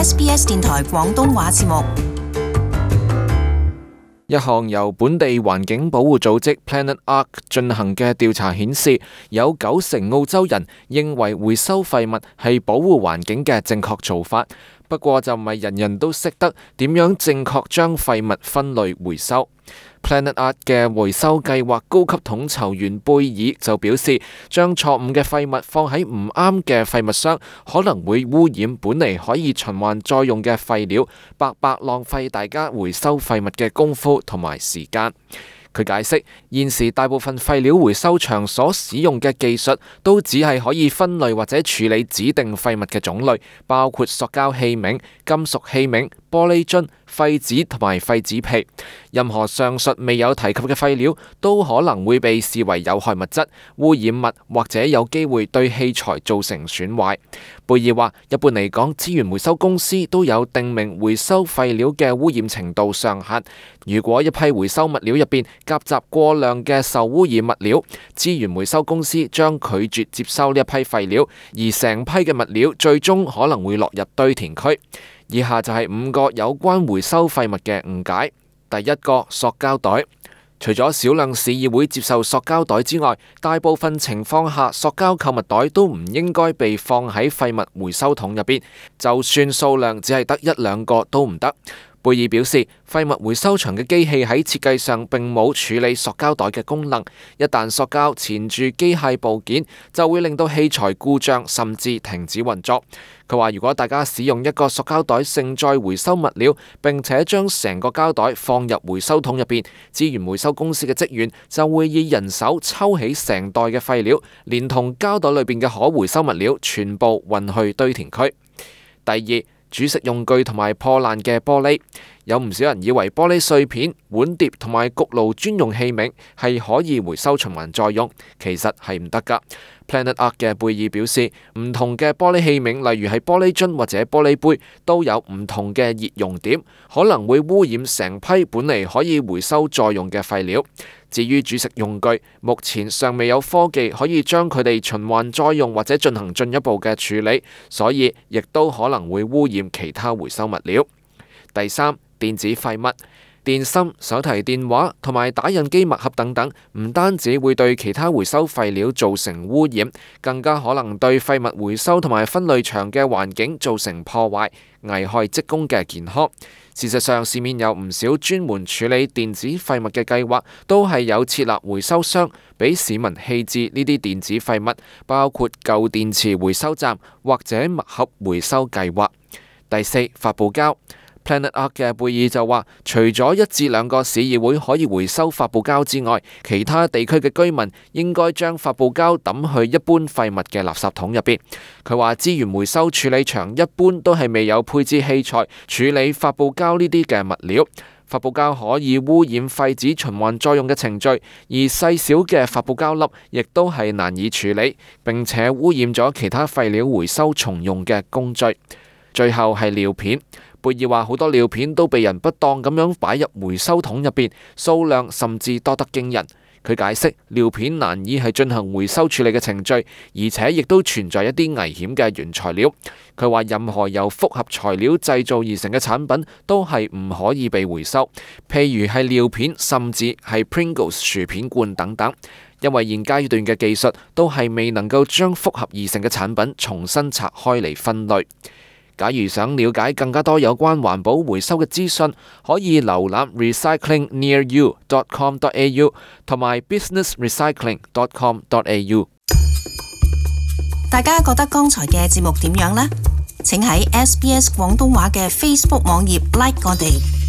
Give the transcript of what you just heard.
SBS 電台廣東話節目。一項由本地環境保護組織 Planet Ark 進行嘅調查顯示，有90%澳洲人認為回收廢物係保護環境嘅正確做法。不過就唔係人人都識得點樣正確將廢物分類回收。Planet Ark 嘅回收計劃高級統籌員貝爾就表示，將錯誤嘅廢物放喺唔啱嘅廢物箱，可能會污染本嚟可以循環再用嘅廢料，白白浪費大家回收廢物嘅功夫同埋時間。佢解釋，現時大部分廢料回收場所使用嘅技術都只係可以分類或者處理指定廢物嘅種類，包括塑膠器皿、金屬器皿、玻璃樽、廢紙同埋廢紙皮。任何上述未有提及嘅廢料都可能會被視為有害物質、污染物或者有機會對器材造成損壞。貝爾話，一般嚟講，資源回收公司都有定明回收廢料嘅污染程度上限。如果一批回收物料入邊夾雜過量嘅受污染物料，資源回收公司將拒絕接收呢一批廢料，而成批嘅物料最終可能會落入堆填區。以下就係5個有關回收廢物嘅誤解。第一個，塑膠袋。除咗少量市議會接受塑膠袋之外，大部分情況下，塑膠購物袋都唔應該被放喺廢物回收桶入邊，就算數量只係得1-2個都唔得。貝爾表示，廢物回收場嘅機器喺設計上並冇處理塑膠袋嘅功能，一旦塑膠纏住機械部件，就會令到器材故障甚至停止運作。佢話，如果大家使用一個塑膠袋盛載回收物料，並且將成個膠袋放入回收桶入邊，資源回收公司嘅職員就會以人手抽起成袋嘅廢料，連同膠袋裏邊嘅可回收物料全部運去堆填區。第二，煮食用具同埋破爛嘅玻璃。有唔少人以為玻璃碎片、碗碟同埋焗爐專用器皿係可以回收循環再用，其實係唔得噶。Planet Ark 嘅貝爾表示，唔同嘅玻璃器皿，例如係玻璃樽或者玻璃杯，都有唔同嘅熱熔點，可能會污染成批本嚟可以回收再用嘅廢料。至於煮食用具，目前尚未有科技可以將佢哋循環再用或者進行進一步嘅處理，所以亦都可能會污染其他回收物料。第三，電子廢物。電芯、手提電話同埋打印機墨盒等等，唔單止會對其他回收廢料造成污染，更加可能對廢物回收同埋分類場嘅環境造成破壞，危害職工嘅健康。事實上，市面有唔少專門處理電子廢物嘅計劃，都係有設立回收箱俾市民棄置呢啲電子廢物，包括舊電池回收站或者墨盒回收計劃。第四，發泡膠。Planet Ark 嘅貝爾就話，除咗1至2個市議會可以回收發泡膠之外，其他地區嘅居民應該將發泡膠抌去一般廢物嘅垃圾桶入邊。佢話，資源回收處理場一般都係未有配置器材處理發泡膠呢啲嘅物料。發泡膠可以污染廢紙循環再用嘅程序，而細小嘅發泡膠粒亦都係難以處理，並且污染咗其他廢料回收重用嘅工序。最後係尿片。貝爾話，好多尿片都被人不當咁樣擺入回收桶入邊，數量甚至多得驚人。佢解釋，尿片難以係進行回收處理嘅程序，而且亦都存在一啲危險嘅原材料。佢話，任何由複合材料製造而成嘅產品都係唔可以被回收，譬如係尿片，甚至係 Pringles 薯片罐等等，因為現階段嘅技術都係未能夠將複合而成嘅產品重新拆開嚟分類。假如想了解更加多有關環保回收嘅資訊，可以瀏覽 recyclingnearyou.com.au 同埋 businessrecycling.com.au。大家覺得剛才嘅節目點樣呢？請喺 SBS 廣東話嘅 Facebook 網頁 like 我哋。